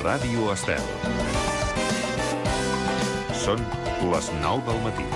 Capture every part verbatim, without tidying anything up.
Ràdio Estel. Són les nou del matí.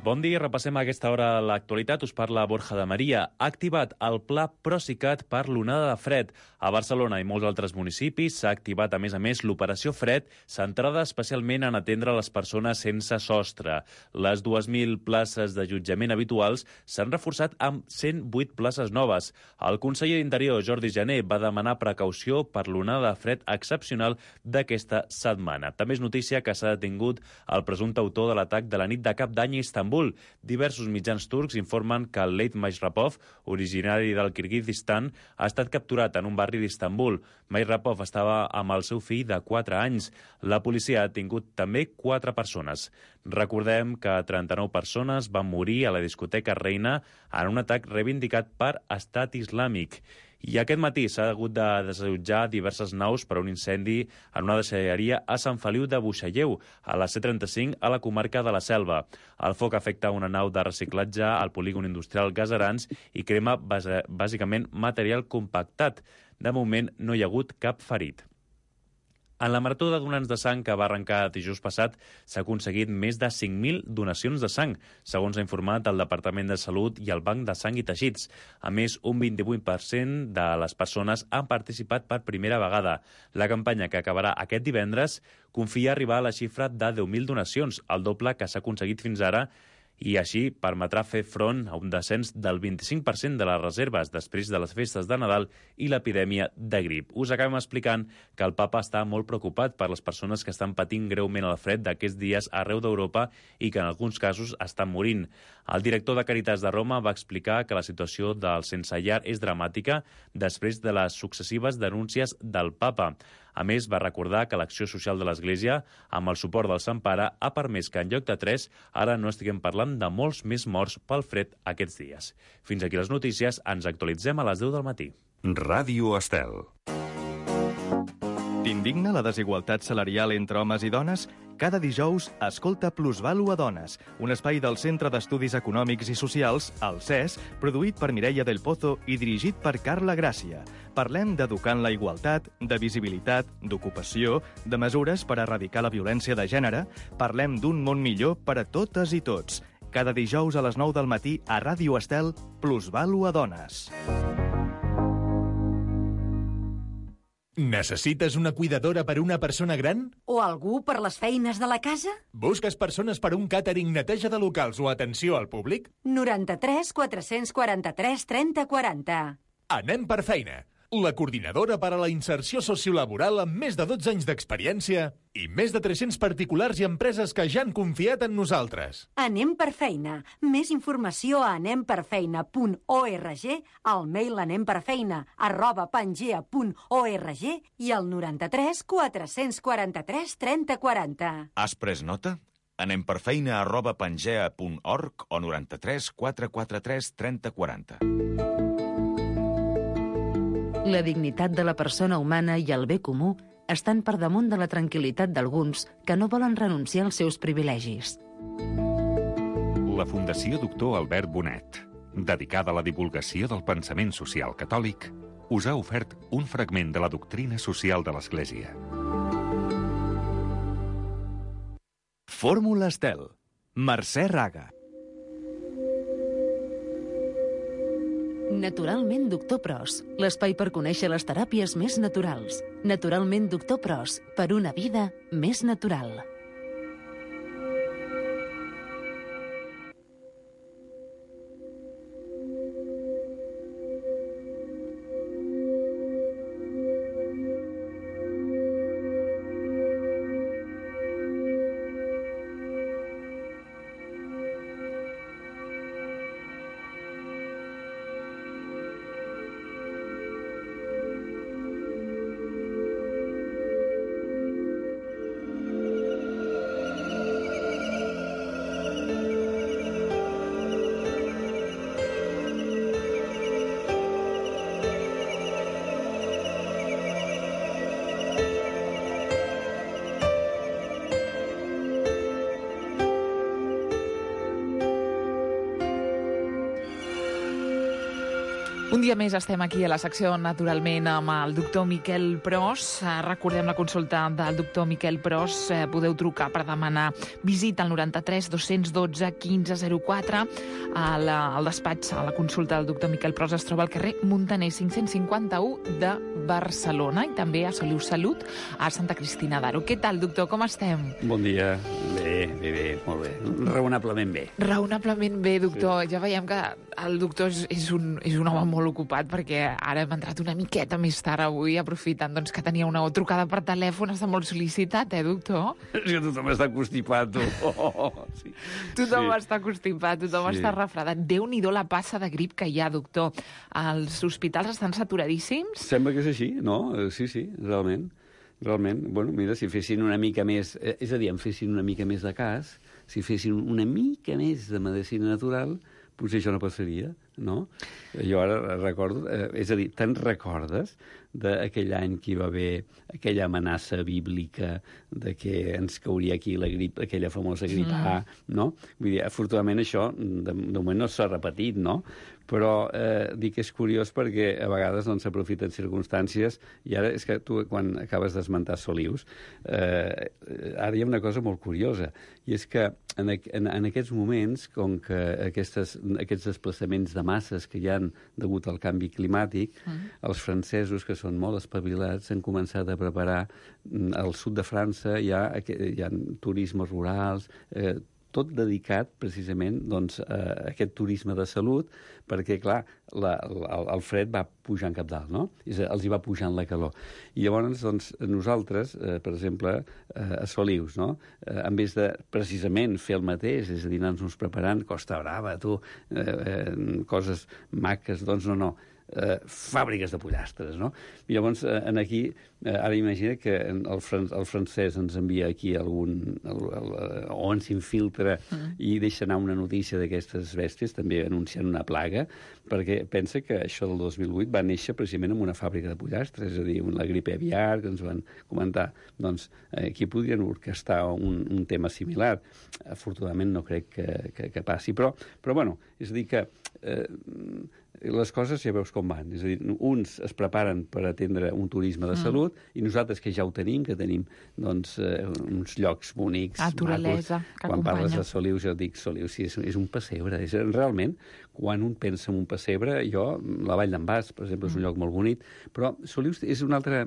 Bon dia, repassem a aquesta hora l'actualitat. Us parla Borja de Maria. Ha activat el pla Procicat per l'onada de fred. A Barcelona i molts altres municipis s'ha activat, a més a més, l'operació Fred, centrada especialment en atendre les persones sense sostre. Les dues mil places d'allotjament habituals s'han reforçat amb cent vuit places noves. El conseller d'Interior, Jordi Jané, va demanar precaució per l'onada de fred excepcional d'aquesta setmana. També és notícia que s'ha detingut el presumpte autor de l'atac de la nit de Cap d'Any a Istanbul. Diversos mitjans turcs informen que el Leit Majrapov, originari del Kirguizistan, ha estat capturat en un barri d'Istanbul. Majrapov estava amb el seu fill de quatre anys. La policia ha detingut també quatre persones. Recordem que trenta-nou persones van morir a la discoteca Reina en un atac reivindicat per Estat Islàmic. I aquest matí s'ha hagut de desallotjar diverses naus per un incendi en una deixalleria a Sant Feliu de Buixalleu, a la C trenta-cinc, a la comarca de la Selva. El foc afecta una nau de reciclatge al polígon industrial Gaserans i crema bàsicament material compactat. De moment no hi ha hagut cap ferit. En la marató de donants de sang que va arrencar dijous passat s'ha aconseguit més de cinc mil donacions de sang, segons ha informat el Departament de Salut i el Banc de Sang i Teixits. A més, un vint-i-vuit per cent de les persones han participat per primera vegada. La campanya, que acabarà aquest divendres, confia arribar a la xifra de deu mil donacions, el doble que s'ha aconseguit fins ara, i així permetrà fer front a un descens del vint-i-cinc per cent de les reserves després de les festes de Nadal i l'epidèmia de grip. Us acabem explicant que el papa està molt preocupat per les persones que estan patint greument el fred d'aquests dies arreu d'Europa i que en alguns casos estan morint. El director de Caritas de Roma va explicar que la situació del sense llar és dramàtica després de les successives denúncies del papa. A més, va recordar que l'acció social de l'Església, amb el suport del Sant Pare, ha permès que en lloc de tres, ara no estiguem parlant de molts més morts pel fred aquests dies. Fins aquí les notícies, ens actualitzem a les deu del matí. Ràdio Estel. T'indigna la desigualtat salarial entre homes i dones? Cada dijous, escolta Plusvàlua Dones, un espai del Centre d'Estudis Econòmics i Socials, el C E S, produït per Mireia del Pozo i dirigit per Carla Gràcia. Parlem d'educar en la igualtat, de visibilitat, d'ocupació, de mesures per erradicar la violència de gènere. Parlem d'un món millor per a totes i tots. Cada dijous a les nou del matí a Ràdio Estel, Plusvàlua Dones. Necessites una cuidadora per una persona gran? O algú per les feines de la casa? Busques persones per un càtering, neteja de locals o atenció al públic? noranta-tres quatre-cents quaranta-tres trenta quaranta. Anem per feina. La coordinadora per a la inserció sociolaboral amb més de dotze anys d'experiència i més de tres-cents particulars i empreses que ja han confiat en nosaltres. Anem per feina. Més informació a anem per feina punt org, al mail anemperfeina arroba pangea punt org i al noranta-tres quatre-cents quaranta-tres trenta quaranta. Has pres nota? Anem per feina arroba pangea punt org o noranta-tres quatre-cents quaranta-tres trenta quaranta. La dignitat de la persona humana i el bé comú estan per damunt de la tranquil·litat d'alguns que no volen renunciar als seus privilegis. La Fundació Doctor Albert Bonet, dedicada a la divulgació del pensament social catòlic, us ha ofert un fragment de la doctrina social de l'Església. Fórmula Estel. Mercè Raga. Naturalment Doctor Pros, l'espai per conèixer les teràpies més naturals. Naturalment Doctor Pros, per una vida més natural. Un dia més estem aquí a la secció, naturalment, amb el doctor Miquel Pros. Recordem la consulta del doctor Miquel Pros. Podeu trucar per demanar visita al noranta-tres dos-cents dotze quinze zero quatre. Al, al despatx, a la consulta del doctor Miquel Pros es troba al carrer Muntaner cinc-cents cinquanta-u de Barcelona i també a Soliu Salut, a Santa Cristina d'Aro. Què tal, doctor? Com estem? Bon dia. Bé, bé, bé, molt bé. Raonablement bé. Raonablement bé, doctor. Sí. Ja veiem que el doctor és, és, un, és un home molt ocupat, perquè ara hem entrat una miqueta més tard avui, aprofitant doncs, que tenia una trucada per telèfon. Està molt sol·licitat, eh, doctor? És que tothom està constipat, tu. Oh, oh, sí. Tothom sí. està constipat, tothom sí. està refredat. Déu-n'hi-do la passa de grip que hi ha, doctor. Els hospitals estan saturadíssims? Sembla que és així, no? Sí, sí, realment. Realment, bueno, mira, si fessin una mica més... És a dir, en fessin una mica més de cas, si fessin una mica més de medicina natural, potser això no passaria, no? Jo ara recordo... Eh, és a dir, te'n recordes d'aquell any que hi va haver aquella amenaça bíblica de que ens cauria aquí la grip, aquella famosa grip A, mm. no? Vull dir, afortunadament això de, de moment no s'ha repetit, no? Però eh, dic que és curiós perquè a vegades doncs, s'aprofiten circumstàncies i ara és que tu, quan acabes d'esmentar Solius, eh, ara hi ha una cosa molt curiosa, i és que en, en, en aquests moments, com que aquestes, aquests desplaçaments de masses que hi ha degut al canvi climàtic, mm. els francesos, que són molt espavilats, han començat a preparar al sud de França, hi ha, hi ha turismes rurals, eh, tot dedicat precisament doncs, a aquest turisme de salut, perquè, clar, la, el, el fred va pujar en cap dalt, no? És a, els hi va pujant la calor. I llavors, doncs, nosaltres, eh, per exemple, eh, a Solius, no? Eh, en vez de precisament fer el mateix, és a dir, anar-nos preparant Costa Brava, tu, eh, eh, coses maques, doncs no, no. Eh, fàbriques de pollastres, no? I llavors, eh, en aquí, eh, ara imagina que el, fran el francès ens envia aquí algun... El, el, o ens infiltra mm. i deixa anar una notícia d'aquestes bèsties, també anunciant una plaga, perquè pensa que això del dos mil vuit va néixer precisament en una fàbrica de pollastres, és a dir, la gripe aviar, que ens van comentar. Doncs aquí podrien orquestar un, un tema similar. Afortunadament no crec que, que, que passi, però, però bueno, és a dir que... Eh, les coses ja veus com van. És a dir, uns es preparen per atendre un turisme de salut mm. i nosaltres, que ja ho tenim, que tenim doncs, eh, uns llocs bonics, naturalesa, macos. Que quan acompanya. Parles de Solius, jo dic Solius, sí, és, és un pessebre. És, realment, quan un pensa en un pessebre, jo, la Vall d'en Bas, per exemple, és un mm. lloc molt bonic, però Solius és una altra,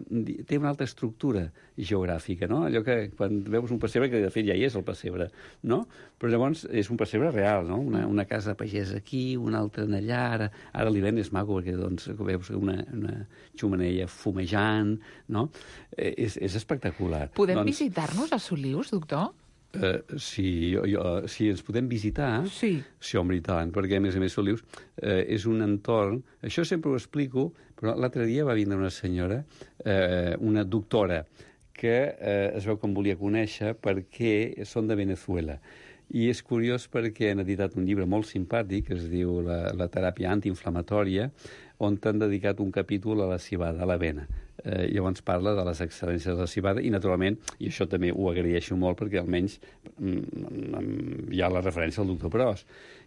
té una altra estructura geogràfica, no? Allò que quan veus un pessebre, que de fet ja hi és el pessebre, no? Però llavors és un pessebre real, no? Una, una casa pagesa aquí, una altra en allà, ara, ara l'hivern és maco perquè doncs, veus una, una xumeneia fumejant, no? Eh, és, és espectacular. Podem doncs, visitar-nos a Solius, doctor? Uh, sí, jo, jo, si ens podem visitar, sí. sí, home, i tant, perquè a més a més Solius uh, és un entorn, això sempre ho explico, però l'altre dia va vindre una senyora, uh, una doctora, que uh, es veu que em volia conèixer perquè són de Venezuela. I és curiós perquè han editat un llibre molt simpàtic que es diu La, la teràpia antiinflamatòria, on t'han dedicat un capítol a la civada, a l'avena. Eh, llavors parla de les excel·lències de la civada i, naturalment, i això també ho agraeixo molt perquè almenys mm, hi ha la referència al doctor Pros.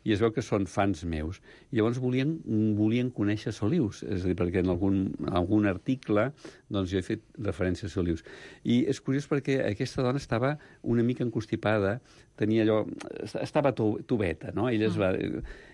I es veu que són fans meus. I llavors volien, volien conèixer Solius, és a dir, perquè en algun, algun article doncs, jo he fet referència a Solius. I és curiós perquè aquesta dona estava una mica encostipada, tenia allò... estava tubeta, no? Ella es va...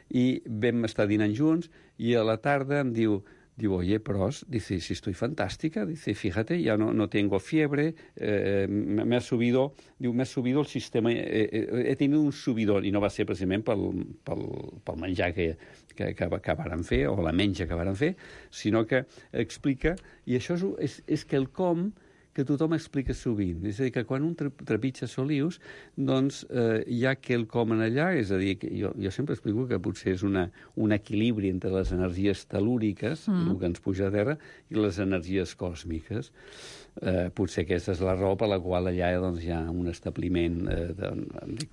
I vam estar dinant junts i a la tarda em diu... Digo, oye, Pros, dice, si estoy fantástica, dice, fíjate, ya no, no tengo fiebre, eh, me, me ha subido, diu, me ha subido el sistema, eh, eh, he tenido un subidón, i no va ser precisament pel, pel, pel menjar que, que, que, que varen fer, o la menja que varen fer, sinó que explica, i això és, és, és quelcom que tothom explica sovint. És a dir, que quan un trepitja Solius, doncs eh, hi ha quelcom en allà, és a dir, que jo, jo sempre explico que potser és una, un equilibri entre les energies telúriques, mm. el que ens puja a terra, i les energies còsmiques. Eh, potser aquesta és la raó per la qual allà doncs, hi ha un establiment eh,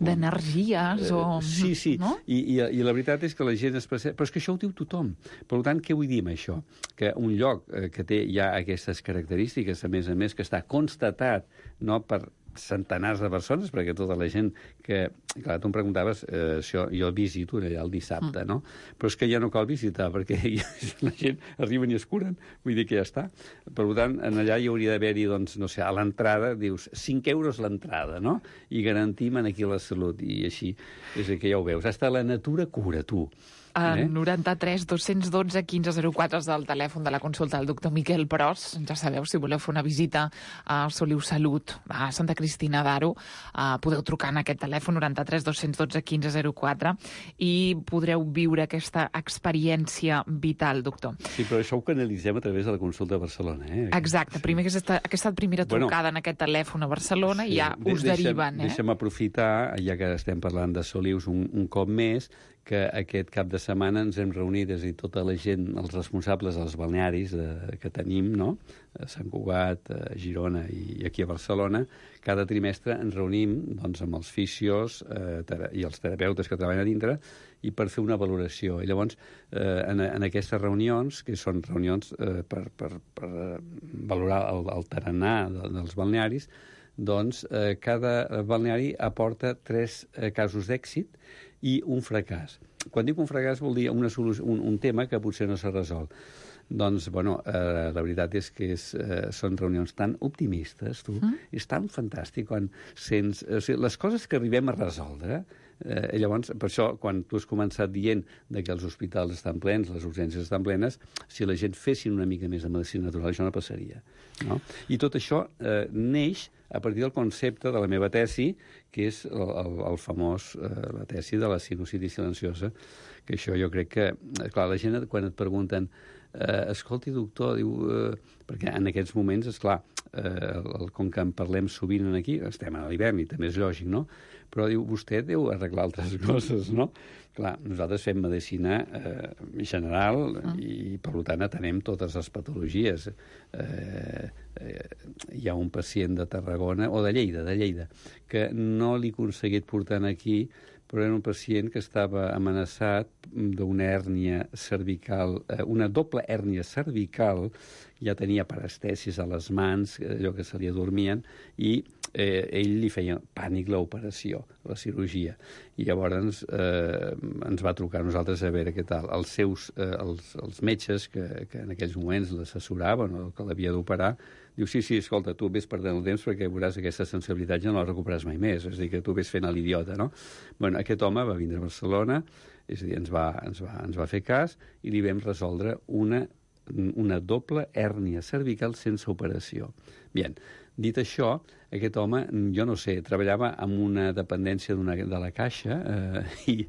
d'energies de, o... Eh, sí, sí, no? I, i, i la veritat és que la gent es percep... Però és que això ho diu tothom. Per tant, què vull dir amb això? Que un lloc eh, que té ja aquestes característiques, a més a més, que està constatat no, per centenars de persones, perquè tota la gent que... Clar, tu em preguntaves, eh, això, jo visito allà el dissabte, mm. no? Però és que ja no cal visitar, perquè la gent arriben i es curen, vull dir que ja està. Per tant, en allà hi hauria d'haver-hi, doncs, no sé, a l'entrada, dius, cinc euros l'entrada, no? I garantim aquí la salut, i així. És que ja ho veus. Hasta la natura cura, tu. Eh? noranta-tres dos dotze quinze zero quatre és el telèfon de la consulta del doctor Miquel Pros. Ja sabeu, si voleu fer una visita a Soliu Salut, a Santa Cristina d'Aro, eh, podeu trucar en aquest telèfon noranta-tres dos dotze quinze zero quatre i podreu viure aquesta experiència vital, doctor. Sí, però això ho canalitzem a través de la consulta de Barcelona, eh? Exacte, sí. primer aquesta, aquesta primera trucada bueno, en aquest telèfon a Barcelona sí, i ja us deixem, deriven, eh? Deixa'm aprofitar, ja que estem parlant de Solius un, un cop més, que aquest cap de setmana ens hem reunit, és a dir, tota la gent, els responsables dels balnearis de, que tenim, no?, a Sant Cugat, a Girona i aquí a Barcelona, cada trimestre ens reunim doncs, amb els fisios eh, i els terapeutes que treballen a dintre i per fer una valoració. I llavors, eh, en, en aquestes reunions, que són reunions eh, per, per, per valorar el, el tarannà de, dels balnearis, doncs eh, cada balneari aporta tres eh, casos d'èxit i un fracàs. Quan dic un fracàs vol dir una solució, un, un tema que potser no s'ha resolt. Doncs, bueno, eh, la veritat és que és, eh, són reunions tan optimistes, tu. Mm. És tan fantàstic quan sents... O sigui, les coses que arribem a resoldre, eh, llavors, per això, quan tu has començat dient de que els hospitals estan plens, les urgències estan plenes, si la gent fessin una mica més de medicina natural, això no passaria. No? I tot això eh, neix a partir del concepte de la meva tesi, que és el, el, el famós, eh, la tesi de la sinusitis silenciosa, que això jo crec que, clar, la gent quan et pregunten eh, escolti, doctor, diu, eh, perquè en aquests moments, esclar, eh, el, com que en parlem sovint aquí, estem a l'hivern i també és lògic, no? Però diu, vostè deu arreglar altres coses, no? Clar, nosaltres fem medicina eh, general mm. i, per tant, atenem totes les patologies. Eh, eh, hi ha un pacient de Tarragona, o de Lleida, de Lleida, que no l'he aconseguit portant aquí, però era un pacient que estava amenaçat d'una hèrnia cervical, eh, una doble hèrnia cervical, ja tenia parestesis a les mans, allò que se li adormien, i eh, ell li feia pànic l'operació, la cirurgia. I llavors eh, ens va trucar a nosaltres a veure què tal. Els seus, eh, els, els metges que, que en aquells moments l'assessoraven o que l'havia d'operar, diu, sí, sí, escolta, tu ves perdent el temps perquè veuràs aquesta sensibilitat ja no la recuperaràs mai més, és a dir, que tu ves fent a l'idiota, no? Bueno, aquest home va vindre a Barcelona, és a dir, ens va, ens va, ens va fer cas i li vam resoldre una, una doble hèrnia cervical sense operació. Bien, dit això, aquest home, jo no sé, treballava amb una dependència de la Caixa eh, i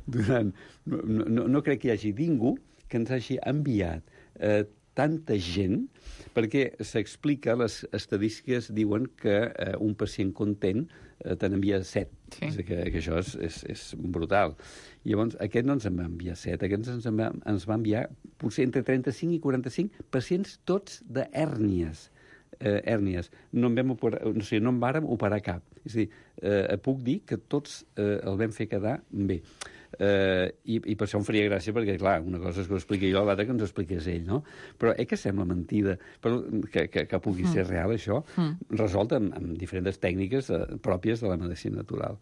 durant... No, no, no crec que hi hagi ningú que ens hagi enviat eh, tanta gent, perquè s'explica, les estadístiques diuen que eh, un pacient content eh, te n'envia set. Sí. És que, que això és, és, és brutal. I llavors, aquest no ens en va enviar set, aquest ens en va, ens va enviar potser entre trenta-cinc i quaranta-cinc pacients tots d'hèrnies. Eh, hèrnies. No en, vam operar, no sé, no en vàrem operar cap. És a dir, eh, puc dir que tots eh, el vam fer quedar bé. Uh, i, i per això em faria gràcia, perquè, clar, una cosa és que ho expliqui jo, l'altra que ens ho expliqués ell, no? Però eh que sembla mentida, però que, que, que pugui mm. ser real, això, mm. resolt amb, amb diferents tècniques uh, pròpies de la medicina natural.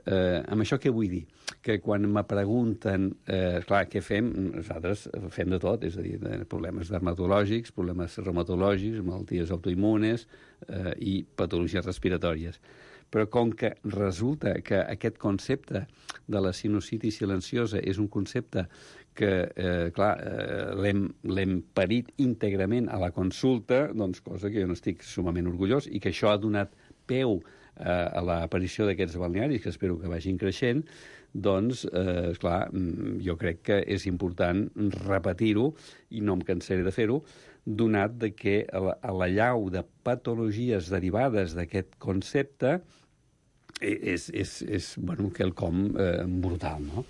Uh, amb això què vull dir? Que quan me pregunten, uh, clar, què fem? Nosaltres fem de tot, és a dir, problemes dermatològics, problemes reumatològics, malalties autoimmunes uh, i patologies respiratòries. Però com que resulta que aquest concepte de la sinusitis silenciosa és un concepte que, eh, clar, eh, l'hem parit íntegrament a la consulta, doncs cosa que jo no estic sumament orgullós, i que això ha donat peu eh, a l'aparició d'aquests balnearis, que espero que vagin creixent, doncs, eh, clar, jo crec que és important repetir-ho, i no em cansaré de fer-ho, donat de que a la llau de patologies derivades d'aquest concepte és, és, és bueno, quelcom eh, brutal, no?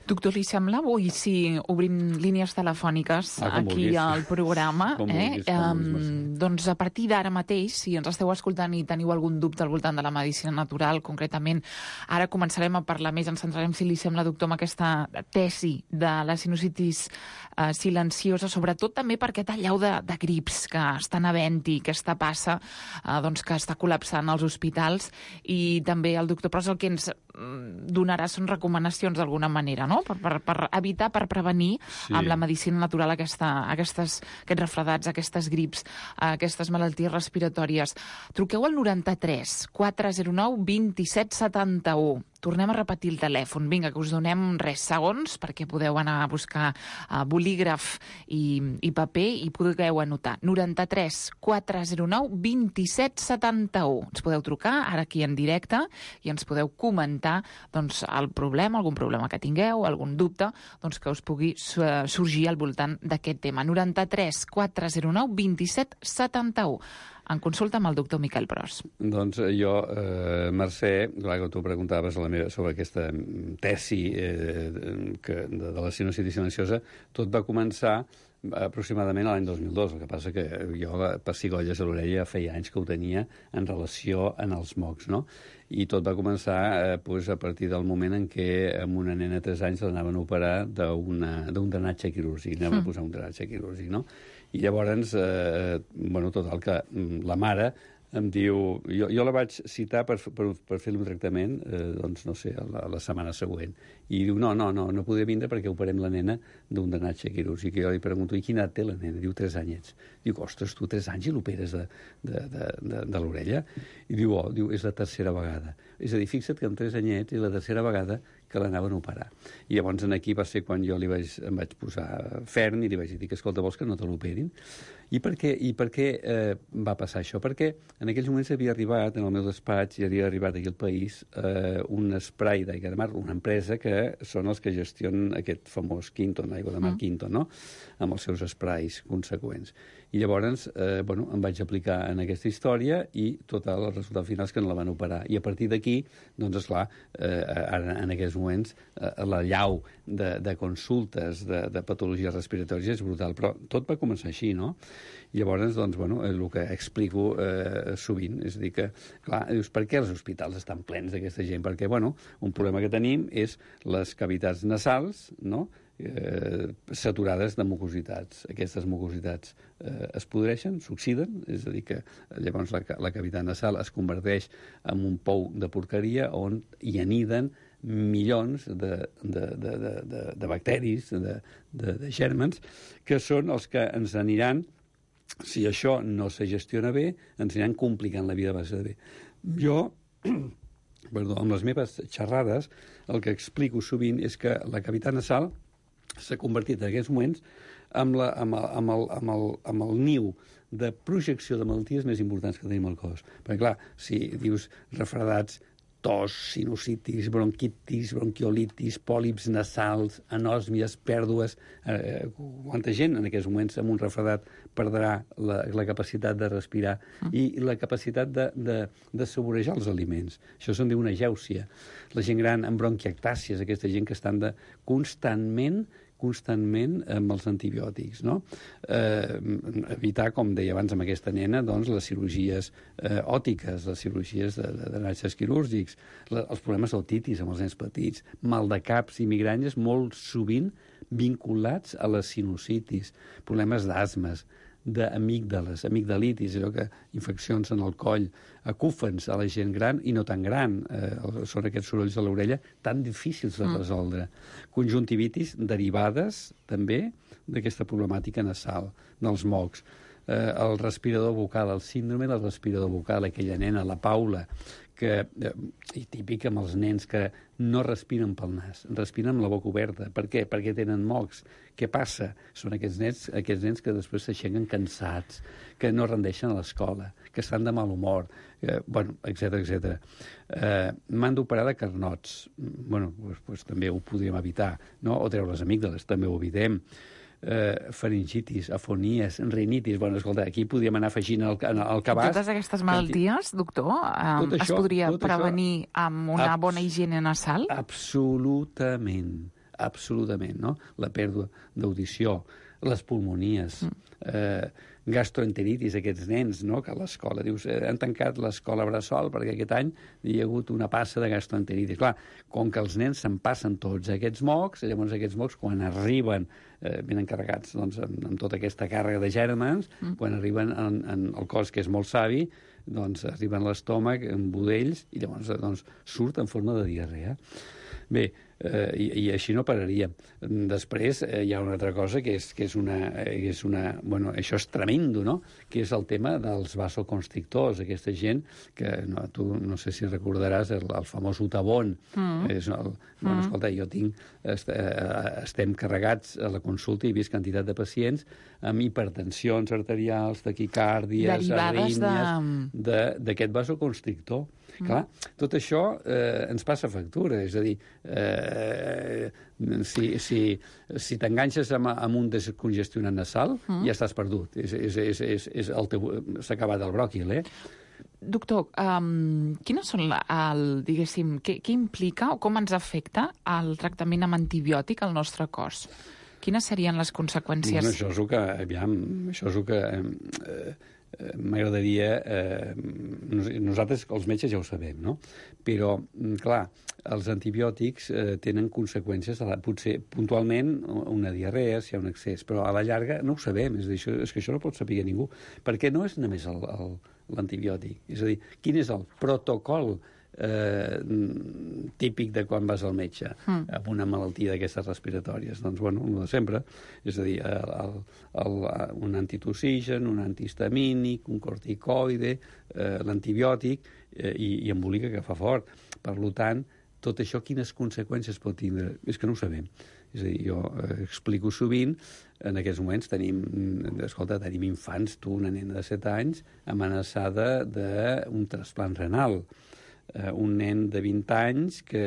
Doctor, li sembla avui si obrim línies telefòniques ah, aquí vulguis. al programa? Com eh? vulguis, com vulguis, um, doncs a partir d'ara mateix, si ens esteu escoltant i teniu algun dubte al voltant de la medicina natural, concretament, ara començarem a parlar més, ens centrarem, si li sembla, doctor, amb aquesta tesi de la sinusitis uh, silenciosa, sobretot també per aquest allau de, de grips que estan havent-hi, aquesta passa, uh, doncs, que està col·lapsant els hospitals, i també el doctor Pros el que ens donarà són recomanacions d'alguna manera, no? Per, per, per evitar, per prevenir sí. amb la medicina natural aquesta, aquestes, aquests refredats, aquestes grips, aquestes malalties respiratòries. Truqueu al noranta-tres quatre zero nou vint set setanta-u. Tornem a repetir el telèfon. Vinga, que us donem res segons perquè podeu anar a buscar uh, bolígraf i, i paper i pugueu anotar. noranta-tres quatre zero nou vint set setanta-u. Ens podeu trucar ara aquí en directe i ens podeu comentar doncs, el problema, algun problema que tingueu, algun dubte, doncs, que us pugui sorgir al voltant d'aquest tema. noranta-tres quatre zero nou vint set setanta-u. En consulta amb el doctor Miquel Pros. Doncs jo, eh, Mercè, clar que tu preguntaves a la meva sobre aquesta tesi eh, que, de, de la sinusitis silenciosa, tot va començar aproximadament a l'any dos mil dos. El que passa que jo, pessigolles a l'orella, feia anys que ho tenia en relació en els mocs, no? I tot va començar eh, pues, a partir del moment en què amb una nena de tres anys l'anaven a operar d'un drenatge quirúrgic, anaven mm. a posar un drenatge quirúrgic, no? I llavors, eh, bueno, total, que la mare em diu... Jo, jo la vaig citar per, per, per fer un tractament, eh, doncs, no sé, la, la setmana següent. I diu, no, no, no, no podia vindre perquè operem la nena d'un drenatge quirúrgic. I jo li pregunto, i quina edat té la nena? Diu, tres anyets. Diu, ostres, tu tres anys i l'operes de, de, de, de, de l'orella? I diu, oh, diu, és la tercera vegada. És a dir, fixa't que amb tres anyets és la tercera vegada que l'anaven a operar. I llavors aquí va ser quan jo li vaig, em vaig posar ferm i li vaig dir que, escolta, vols que no te l'operin? I per què, i per què eh, va passar això? Perquè en aquells moments havia arribat, en el meu despatx, i havia arribat aquí al país eh, un spray d'aigua de mar, una empresa que són els que gestionen aquest famós Quinton, aigua de mar mm. Quinton, no? Amb els seus sprays conseqüents. I llavors, eh, bueno, em vaig aplicar en aquesta història i tot el resultat final és que no la van operar. I a partir d'aquí, doncs, esclar, eh, ara, en aquests moments, eh, la llau de, de consultes de, de patologies respiratòries és brutal, però tot va començar així, no? I llavors, doncs, bueno, el que explico eh, sovint, és a dir que, clar, dius, per què els hospitals estan plens d'aquesta gent? Perquè, bueno, un problema que tenim és les cavitats nasals, no?, Eh, saturades de mucositats. Aquestes mucositats eh, es podreixen, s'oxiden, és a dir que llavors la, la cavitat nasal es converteix en un pou de porqueria on hi aniden milions de, de, de, de, de, de bacteris, de, de, de gèrmens, que són els que ens aniran, si això no se gestiona bé, ens aniran complicant la vida base de bé. Jo, perdó, amb les meves xerrades, el que explico sovint és que la cavitat nasal s'ha convertit en aquests moments amb, la, amb, el, amb, el, amb, el, amb el niu de projecció de malalties més importants que tenim al cos. Perquè, clar, si dius refredats, tos, sinusitis, bronquitis, bronquiolitis, pòlips nasals, anòsmies, pèrdues... Eh, quanta gent en aquests moments amb un refredat perdrà la, la capacitat de respirar mm. i la capacitat de, de, de saborejar els aliments. Això se'n diu una agèusia. La gent gran amb bronquiectàcies, aquesta gent que estan de, constantment constantment amb els antibiòtics, no? Eh, evitar, com deia abans amb aquesta nena, doncs, les cirurgies eh, òtiques, les cirurgies de, de, de drenatges quirúrgics, la, els problemes d'otitis amb els nens petits, mal de caps i migranyes molt sovint vinculats a les sinusitis, problemes d'asmes, d'amígdales, amigdalitis, allò que infeccions en el coll, acúfens a la gent gran i no tan gran, eh, són aquests sorolls a l'orella tan difícils de resoldre. Mm. Conjuntivitis derivades també d'aquesta problemàtica nasal, dels mocs. Eh, el respirador bucal, el síndrome del respirador bucal, aquella nena, la Paula, que, eh, i típic amb els nens que no respiren pel nas, respiren amb la boca oberta. Per què? Perquè tenen mocs. Què passa? Són aquests nens, aquests nens que després s'aixequen cansats, que no rendeixen a l'escola, que estan de mal humor, eh, bueno, etcètera, etcètera. Eh, M'han d'operar de carnots. Bueno, pues, pues, també ho podríem evitar, no? O treure les amígdales, també ho evitem. Eh, faringitis, afonies, rinitis... Bueno, escolta, aquí podríem anar afegint el, el cabàs... Totes aquestes malalties, doctor, eh, això, es podria prevenir això, amb una bona higiene nasal? Absolutament. absolutament, no? La pèrdua d'audició, les pulmonies, mm. eh, gastroenteritis, aquests nens, no?, que a l'escola, dius, eh, han tancat l'escola Bressol perquè aquest any hi ha hagut una passa de gastroenteritis. Clar, com que els nens se'n passen tots aquests mocs, llavors aquests mocs, quan arriben, eh, ben encarregats doncs, amb, amb tota aquesta càrrega de gèrmens, mm. quan arriben en, en el cos, que és molt savi, doncs arriben a l'estómac en budells i llavors doncs, surt en forma de diarrea. Bé, eh, i, i així no pararia. Després eh, hi ha una altra cosa que és, que és una... Que és una bueno, això és tremendo, no?, que és el tema dels vasoconstrictors, aquesta gent que, no, tu no sé si recordaràs el, el famós Utabon. Mm. És el, bueno, mm. escolta, jo tinc... Est, eh, estem carregats a la consulta i he vist quantitat de pacients amb hipertensions arterials, taquicàrdies, arrítmies, d'aquest vasoconstrictor. Mm. Clar, tot això eh, ens passa factura, és a dir, eh, si, si, si t'enganxes amb, amb un descongestionant nasal, mm. ja estàs perdut. És, és, és, és, és el teu... S'ha acabat el bròquil, eh? Doctor, um, quines són, la, el, diguéssim, què, què implica o com ens afecta el tractament amb antibiòtic al nostre cos? Quines serien les conseqüències? Bueno, això és el que... Aviam, això és el que... Eh, m'agradaria... Eh, nosaltres, els metges, ja ho sabem, no? Però, clar, els antibiòtics eh, tenen conseqüències, la, potser puntualment una diarrea, si hi ha un excés, però a la llarga no ho sabem, és, això, és que això no pot saber ningú, perquè no és només l'antibiòtic, és a dir, quin és el protocol eh, típic de quan vas al metge mm. amb una malaltia d'aquestes respiratòries? Doncs, bueno, el de sempre, és a dir, el, el, el, un antitussigen, un antihistamínic, un corticoide, eh, l'antibiòtic eh, i, i embolica que fa fort. Per tant, tot això quines conseqüències pot tindre? És que no ho sabem. És a dir, jo eh, explico sovint, en aquests moments tenim, escolta, tenim infants, tu, una nena de set anys, amenaçada d'un trasplant renal. Uh, un nen de vint anys que,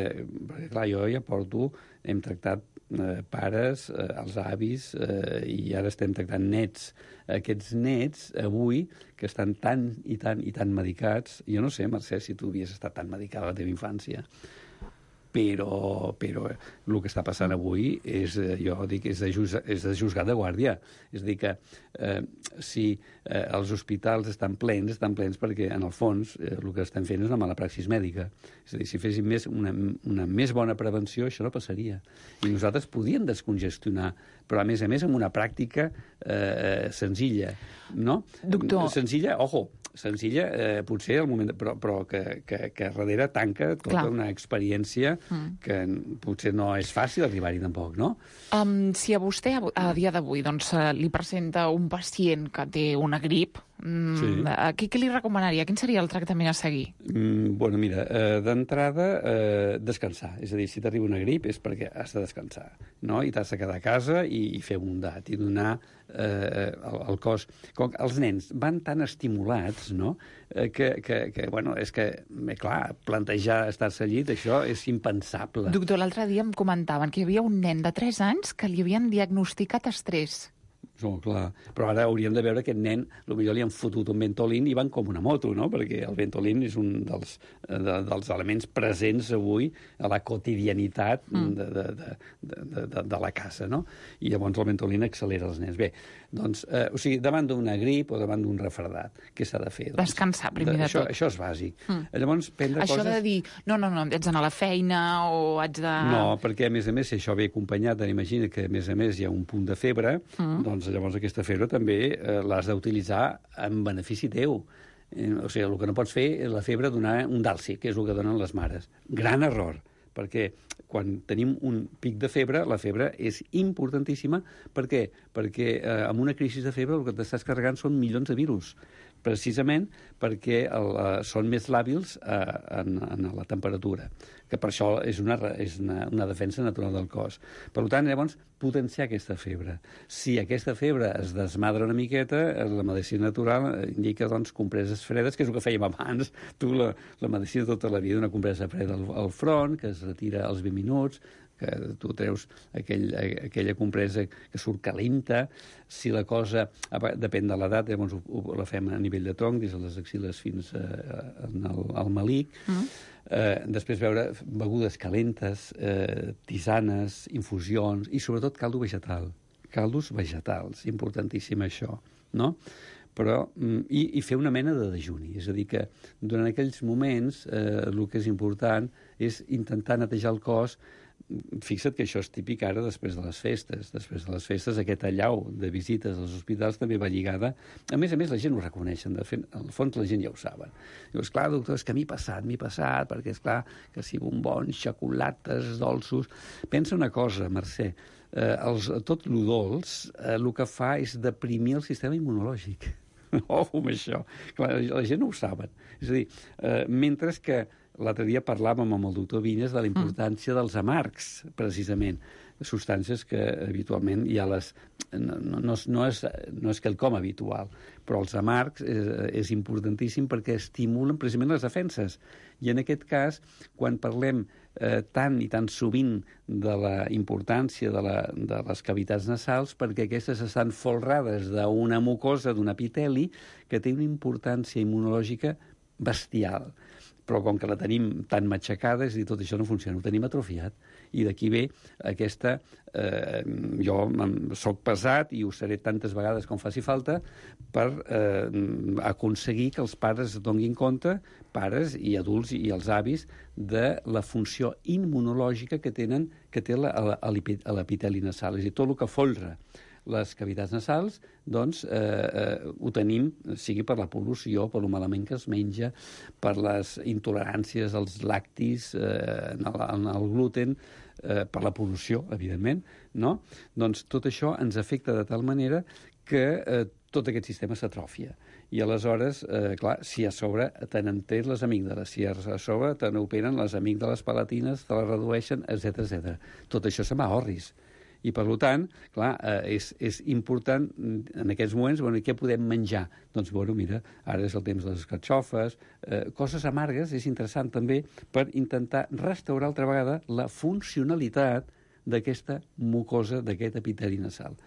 perquè clar, jo ja porto, hem tractat uh, pares, uh, els avis, uh, i ara estem tractant nets. Aquests nets, avui, que estan tan i tan i tan medicats, jo no sé, Mercè, si tu havies estat tan medicada a la teva infància, però, però el que està passant avui és, jo dic, és de, juz, és de juzgat de guàrdia. És a dir, que eh, si eh, els hospitals estan plens, estan plens perquè, en el fons, eh, el que estan fent és una mala praxis mèdica. És a dir, si fessin més, una, una més bona prevenció, això no passaria. I nosaltres podíem descongestionar, però, a més a més, amb una pràctica eh, senzilla, no? Doctor... Senzilla, ojo, senzilla, eh, potser al moment, de, però, però que, que, que darrere tanca tota Clar. Una experiència mm. que potser no és fàcil arribar-hi tampoc, no? Um, si a vostè, a dia d'avui, doncs, li presenta un pacient que té una grip, mm, sí. què, què li recomanaria? Quin seria el tractament a seguir? Mm, bueno, mira, eh, d'entrada, eh, descansar. És a dir, si t'arriba una grip és perquè has de descansar, no? I t'has de quedar a casa i, i fer bondat i donar eh, el, el cos... Com que els nens van tan estimulats, no?, eh, que, que, que, bueno, és que, eh, clar, plantejar estar-se al llit, això és impensable. Doctor, l'altre dia em comentaven que hi havia un nen de tres anys que li havien diagnosticat estrès. Oh, clar. Però ara hauríem de veure que aquest nen, potser li han fotut un Ventolin i van com una moto, no? Perquè el Ventolin és un dels, de, dels elements presents avui a la quotidianitat mm. de, de, de, de, de, de la casa, no? I llavors el Ventolin accelera els nens. Bé, doncs, eh, o sigui, davant d'una grip o davant d'un refredat, què s'ha de fer? Doncs, descansar, primer de, de això, tot. Això és bàsic. Mm. Llavors, prendre això coses... de dir, no, no, no, haig d'anar a la feina o haig de... No, perquè, a més a més, si això ve acompanyat, imagina que, a més a més, hi ha un punt de febre, mm. doncs llavors aquesta febre també eh, l'has d'utilitzar en benefici teu. Eh, o sigui, el que no pots fer és la febre donar un dàlcic, que és el que donen les mares. Gran error, perquè quan tenim un pic de febre, la febre és importantíssima. Per què? Perquè eh, amb una crisi de febre el que t'estàs carregant són milions de virus, precisament perquè el, uh, són més làbils uh, en, en la temperatura, que per això és una, és una, una defensa natural del cos. Per tant, llavors, potenciar aquesta febre. Si aquesta febre es desmadra una miqueta, la medicina natural indica, doncs, compreses fredes, que és el que fèiem abans. Tu, la, la medicina tota la vida, una compresa freda al, al front, que es retira als vint minuts, que tu treus aquell, aquella compresa que surt calenta, si la cosa depèn de l'edat, llavors ho, ho, la fem a nivell de tronc, des de les axiles fins a, a, al, al malic. Mm. Eh, després veure begudes calentes, eh, tisanes, infusions i sobretot caldo vegetal. Caldos vegetals, importantíssim això, no? Però, i, i fer una mena de dejuni. És a dir, que durant aquells moments eh, el que és important és intentar netejar el cos. Fixa't que això és típic ara després de les festes. Després de les festes, aquest allau de visites als hospitals també va lligada. A més a més, la gent ho reconeixen. De fet, al fons, la gent ja ho saben. Dius, clar, doctor, és que m'hi passat, m'hi passat, perquè, és clar, que si bombons, xocolates, dolços... Pensa una cosa, Mercè, eh, els, tot lo dolç eh, el que fa és deprimir el sistema immunològic. Oh, amb això. Clar, la gent no ho saben. És a dir, eh, mentre que l'altre dia parlàvem amb el doctor Vinyes de la importància mm. dels amargs, precisament, substàncies que habitualment ja les... No, no, no, és, no és quelcom habitual, però els amargs és, és importantíssim perquè estimulen precisament les defenses. I en aquest cas, quan parlem eh, tant i tan sovint de la importància de, la, de les cavitats nasals, perquè aquestes estan folrades d'una mucosa, d'un epiteli, que té una importància immunològica bestial. Però com que la tenim tan matxacada, és a dir, tot això no funciona, ho tenim atrofiat. I d'aquí ve aquesta... Eh, jo soc pesat i ho seré tantes vegades com faci falta per eh, aconseguir que els pares es donguin compte, pares i adults i els avis, de la funció immunològica que tenen, que té l'epiteli nasal. És a dir, tot el que folra les cavitats nasals, doncs eh, eh, ho tenim, sigui per la pol·lució, per lo malament que es menja, per les intoleràncies als lactis, eh, en, el, en el gluten, eh, per la pol·lució, evidentment, no? Doncs tot això ens afecta de tal manera que eh, tot aquest sistema s'atròfia. I aleshores, eh, clar, si a sobre te n'han tret les amígdales, si a sobre te n'operen les amígdales palatines, te les redueixen, etcètera etcètera. Tot això se'n va a orris. I, per tant, clar, eh, és, és important en aquests moments, bueno, què podem menjar? Doncs, bueno, mira, ara és el temps de les carxofes, eh, coses amargues, és interessant també per intentar restaurar altra vegada la funcionalitat d'aquesta mucosa, d'aquest epiteli nasal.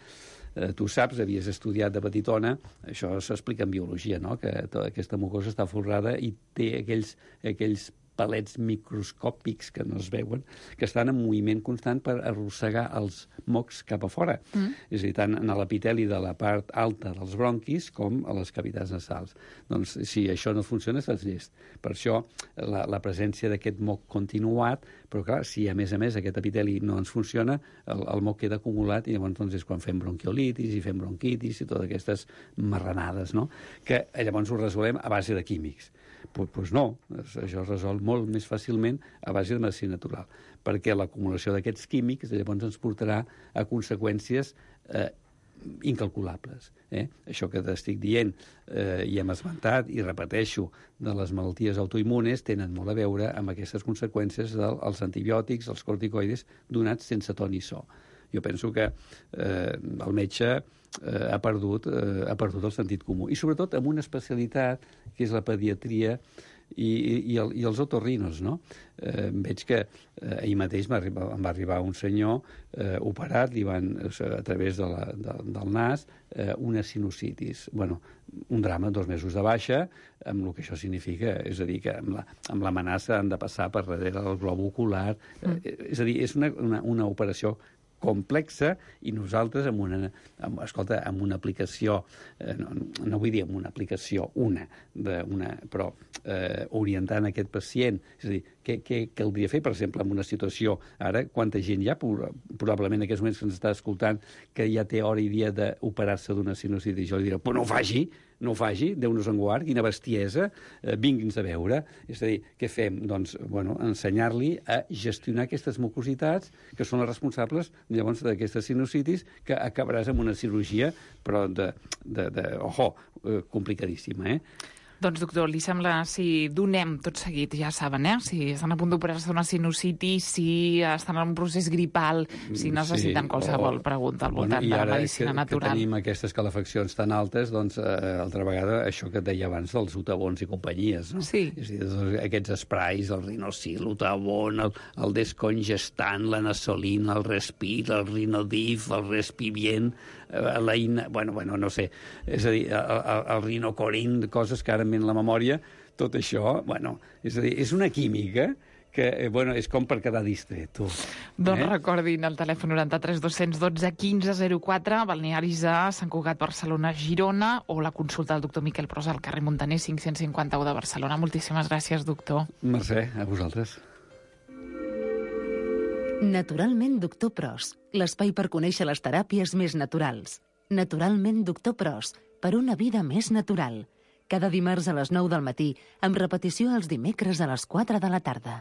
Eh, tu saps, havies estudiat de petitona, això s'explica en biologia, no?, que tota aquesta mucosa està folrada i té aquells, aquells palets microscòpics que no es veuen, que estan en moviment constant per arrossegar els mocs cap a fora. Mm. És a dir, tant en l'epiteli de la part alta dels bronquis com a les cavitats nasals. Doncs, si això no funciona, estàs llest. Per això, la, la presència d'aquest moc continuat, però clar, si a més a més aquest epiteli no ens funciona, el, el moc queda acumulat i llavors doncs, és quan fem bronquiolitis i fem bronquitis i totes aquestes marranades, no?, que llavors ho resolem a base de químics. Pues, pues no, això es resol molt més fàcilment a base de medicina natural, perquè l'acumulació d'aquests químics llavors ens portarà a conseqüències eh, incalculables. Eh? Això que t'estic dient eh, i hem esmentat i repeteixo de les malalties autoimmunes tenen molt a veure amb aquestes conseqüències dels antibiòtics, els corticoides, donats sense to ni so. Jo penso que eh, el metge eh, ha, perdut, eh, ha perdut el sentit comú. I sobretot amb una especialitat que és la pediatria i, i, el, i els otorrinos, no? Eh, veig que eh, ahir mateix em va arribar un senyor eh, operat, li van, a través de la, de, del nas, eh, una sinusitis. Bueno, un drama, dos mesos de baixa, amb el que això significa. És a dir, que amb, la, amb l'amenaça han de passar per darrere del glob ocular. Mm. Eh, és a dir, és una, una, una operació complexa i nosaltres amb una, amb, escolta, amb una aplicació, eh, no, no vull dir amb una aplicació, una, de, una però eh, orientant aquest pacient, és a dir, què, què caldria fer, per exemple, en una situació, ara, quanta gent hi ha, probablement en aquests moments que ens està escoltant, que ja té hora i dia d'operar-se d'una sinusitis, jo li diré, però no ho faci, no ho faci, Déu-nos en guard, quina bestiesa, eh, vingui'ns a veure. És a dir, què fem? Doncs, bueno, ensenyar-li a gestionar aquestes mucositats que són les responsables, llavors, d'aquestes sinusitis, que acabaràs amb una cirurgia, però de, de, de ojo, eh, complicadíssima, eh? Doncs, doctor, li sembla si donem tot seguit, ja saben, eh? Si estan a punt d'operar-se una sinusitis, si estan en un procés gripal, si necessiten sí, qualsevol o... pregunta al voltant bueno, de la medicina que, natural. I ara que tenim aquestes calefaccions tan altes, doncs, eh, altra vegada, això que et deia abans dels Utavons i companyies, no? Sí. És a dir, aquests esprais, el Rinosil, l'Utavon, el, el descongestant, la nasolina, el Respir, el Rinodif, el Respivient, eh, la ina... Bueno, bueno, no sé. És a dir, el, el, el Rinocorin, coses que ara em ve la memòria, tot això, bueno, és a dir, és una química que, bueno, és com per quedar distret, tu. Doncs eh? recordin el telèfon noranta-tres dos dotze quinze zero quatre, balnearis a Sant Cugat, Barcelona, Girona, o la consulta del doctor Miquel Pros al carrer Montaner cinc-cents cinquanta-u de Barcelona. Moltíssimes gràcies, doctor. Mercè, a vosaltres. Naturalment, doctor Pros, l'espai per conèixer les teràpies més naturals. Naturalment, doctor Pros, per una vida més natural. Cada dimarts a les nou del matí, amb repetició els dimecres a les quatre de la tarda.